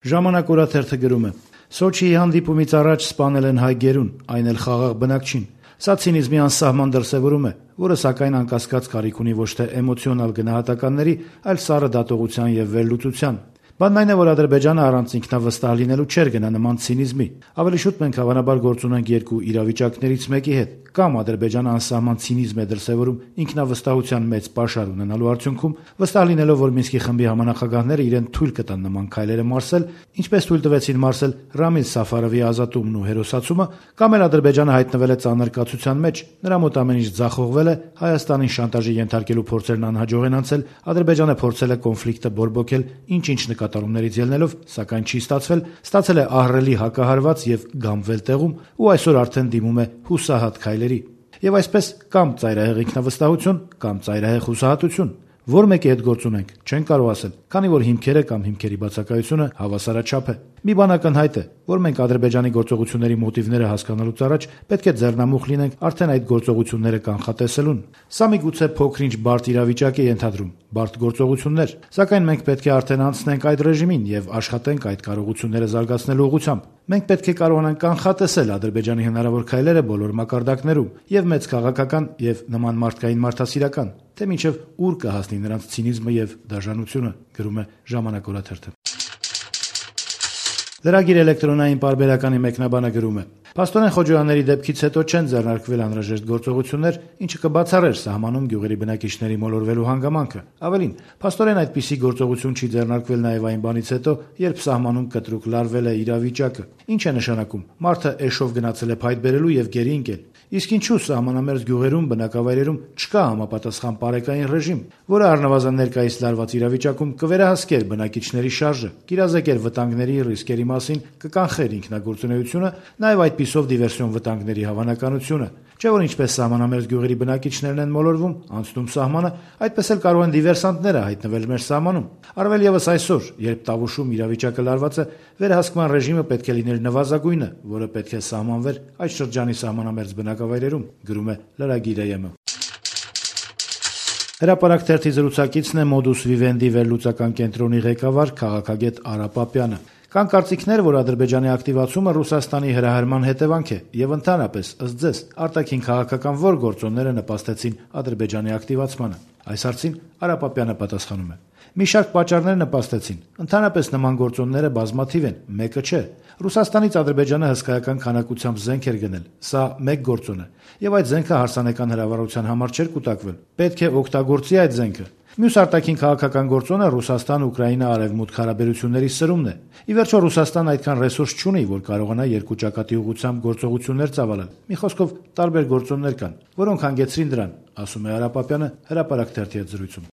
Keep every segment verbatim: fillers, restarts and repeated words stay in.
Ժամանակ օրաթերթը գրում է. Սոչիի հանդիպումից առաջ սպանել են հայ գերուն, այն էլ խաղաղ բնակչին։ Սա ցինիզմի անսահման դրսևորում է, որը սակայն անկասկած կարիք ունի ոչ թե էմոցիոնալ գնահատականների, այլ սառը դատողության եւ վերլուծության։ Բանն այն է, որ Ադրբեջանը առանց ինքնավստահ լինելու չէր գնա նման ցինիզմի։ Ավելի շուտ մենք հավանաբար գործ ունենք երկու իրավիճակներից մեկի հետ։ Կամ Ադրբեջանը անսահման ցինիզմ է դրսևորում ինքնավստահության մեծ պաշար ունենալու արդյունքում, վստահ լինելով, որ Մինսկի խմբի համանախագահները իրեն թույլ կտան նման քայլերը մարսել, ինչպես թույլ տվեցին մարսել Ռամիլ Սաֆարովի ազատումն ու հերոսացումը, կամ էլ Ադրբեջանը հայտնվել է ծանր կացության մեջ, նրա մոտ ամեն ինչ ձախողվել է, Հայաստանին շանտաժի ենթարկելու փորձերն անհաջող են անցել, Ադրբեջանը փորձել է կոնֆլիկտը բորբոքել ինչ-ինչ նկատառումներից ելնելով, սակայն չի ստացվել, ստացել է ահռելի հակահարված եւ գամվել տեղում ու այսօր արդեն դիմում է հուսահատ քայլերի։ Եվ այսպես կամ ծայրահեղ ինքնավստահություն, կամ ծայրահեղ հուսահատություն։ Որ մեկի հետ գործ ունենք, չեն կարող ասել, քանի որ հիմքերը կամ հիմքերի բացակայությունը հավասարաչափ է։ Մի բան ակնհայտ է, որ մենք Ադրբեջանի գործողությունների մոտիվները հասկանալուց առաջ պետք է ձեռնամուխ լինենք արդեն այդ գործողությունները կանխատեսելուն։ Սա միգուցե փոքր-ինչ բարդ իրավիճակ է ենթադրում, բարդ գործողություններ, սակայն մենք պետք է արդեն անցնենք այդ ռեժիմին եւ աշխատենք այդ կարողությունները զարգացնելու ուղղությամբ։ Մենք պետք է կարողանանք կանխատեսել Ադրբեջանի հնարավոր քայլերը բոլոր մակարդակներում, եւ մեծ քաղաքական եւ նման մարդկային մարդասիրական, թե մինչեւ ուր կհասնի նրանց ցինիզմը եւ դաժանությունը, գրում է Ժամանակ օրաթերթը։ Լրագիր էլեկտրոնային պարբերականի մեկնաբանը գրում է. Պաստորեն Խոջոյանների դեպքից հետո չեն ձեռնարկվել անհրաժեշտ գործողություններ, ինչը կբացառեր սահմանում գյուղերի բնակիչների մոլորվելու հանգամանքը։ Ավելին, պաստորեն այդպիսի գործողություն չի ձեռնարկվել նաև այն բանից հետո, երբ սահմանում կտրուկ լարվել է իրավիճակը։ Ինչ է նշանակում։ Մարդը էշով գնացել է փայտ բերելու եւ գերի ընկել։ Իսկ ինչու սահմանամերձ գյուղերում, բնակավայրերում չկա համապատասխան պարեկային ռեժիմ, որը առնվազն ներկայիս լարված իրավիճակում կվերահսկեր բնակիչների շարժը, կիրազեկեր վտանգների ռիսկերի մասին, կկանխեր ինքնագործունեությունը, նաև այդպիսով դիվերսիոն վտանգների հավանականությունը։ Չէ՞ որ ինչպես սահմանամերձ գյուղերի բնակիչներն են մոլորվում, անցնում սահմանը, այդպես էլ կարող են դիվերսանտները հայտնվել մեր սահմանում։ Առավել եւս այսօր, երբ Տավուշում իրավիճակը լարված է, վերահսկման ռեժիմը պետք է լիներ նվազագույնը, որը պետք է սահմանվեր այդ շրջանի սահմանամերձ բնակավայրերում, գրում է լրագիրը ԵՄ։ Հրապարակ թերթի զրուցակիցն է Modus Vivendi վերլուծական կենտրոնի ղեկավար քաղաքագետ Արա Պապյանը։ Կան կարծիքներ, որ Ադրբեջանի ակտիվացումը Ռուսաստանի հրահրման հետևանք է եւ ընդհանրապես, ըստ ձեզ, արտաքին քաղաքական ո՞ր գործոնները նպաստեցին Ադրբեջանի ակտիվացմանը։ Այս հարցին Արա Պապյանը պատասխանում է. Մի շարք պատճառներ նպաստեցին։ Ընդհանրապես նման գործոնները բազմաթիվ են, մեկը չէ։ Ռուսաստանից Ադրբեջանը հսկայական քանակությամբ զենք էր գնել։ Սա մեկ գործոն է, եւ այդ զենքը հարսանեկան հրավառության համար չէր կուտակվել։ Պետք է օգտագործի այդ զենքը։ Մյուս արտաքին քաղաքական գործոնը Ռուսաստան-Ուկրաինա-Արևմուտք հարաբերությունների սրումն է։ Ի վերջո Ռուսաստանն այդքան ռեսուրս չունի, որ կարողանա երկու ճակատի ուղղությամբ գործողություններ ծավալել։ Մի խոսքով, տարբեր գործոններ կան, որոնք հանգեցրին դրան, ասում է Արա Պապյանը Հրապարակ թերթի հետ զրույցում։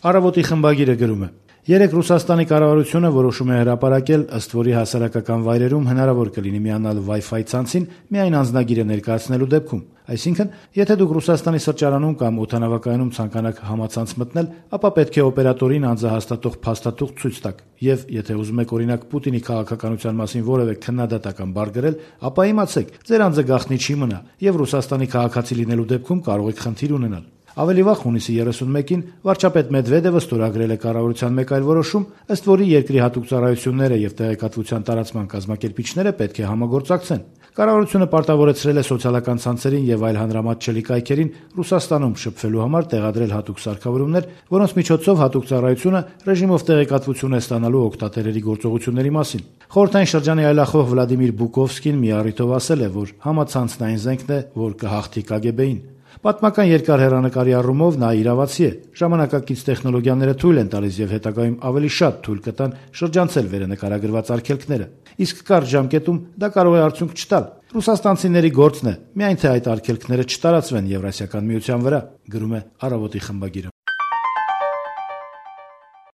Առավոտի խմբագիրը գրում է. Երեք Ռուսաստանի կառավարությունը որոշում է հրապարակել, ըստ որի հասարակական վայրերում հնարավոր կլինի միանալ Wi-Fi ցանցին միայն անձնագիրը ներկայացնելու դեպքում։ Այսինքն, եթե դուք Ռուսաստանի սրճարանում կամ օդանավակայանում ցանկանաք համացանց մտնել, ապա պետք է օպերատորին անձահաստատող փաստաթուղթ ցույց տաք, եւ եթե ուզում եք օրինակ Պուտինի քաղաքականության մասին որևէ քննադատական բառ գրել, ապա իմացեք, ձեր անձը գաղտնի չի մնա, եւ Ռուսաստանի քաղաքացի լինելու դեպքում կարող եք խնդիր ունենալ։ Ավելի վաղ հունիսի երեսունմեկին վարչապետ Մեդվեդևը ստորագրել է կառավարության մեկ այլ որոշում, ըստ որի երկրի հատուկ ծառայությունները եւ տեղեկատվության տարածման կազմակերպիչները պետք է համագործակցեն։ Կառավարությունը պարտավորեցրել է սոցիալական ցանցերին եւ այլ հանրամատչելի կայքերին Ռուսաստանում շփվելու համար տեղադրել հատուկ սարքավորումներ, որոնց միջոցով հատուկ ծառայությունը ռեժիմով տեղեկատվություն է ստանալու օգտատերերի գործողությունների մասին։ Խորհրդային շրջանի այլախոհ Վլադիմիր Բուկովսկին մի առիթով ասել է, որ համացանցն այն զենքն է, որ կհաղթի Կ Գ B-ին։ Պատմական երկար հեռանկարի առումով նա իրավացի է։ Ժամանակակից տեխնոլոգիաները թույլ են տալիս եւ հետագայում ավելի շատ թույլ կտան շրջանցել վերնկարագրված արգելքները։ Իսկ կարճ ժամկետում դա կարող է արդյունք չտալ։ Ռուսաստանցիների գործն է, միայն թե այդ արգելքները չտարածվեն Եվրասիական միության վրա, գրում է Առավոտի խմբագիրը։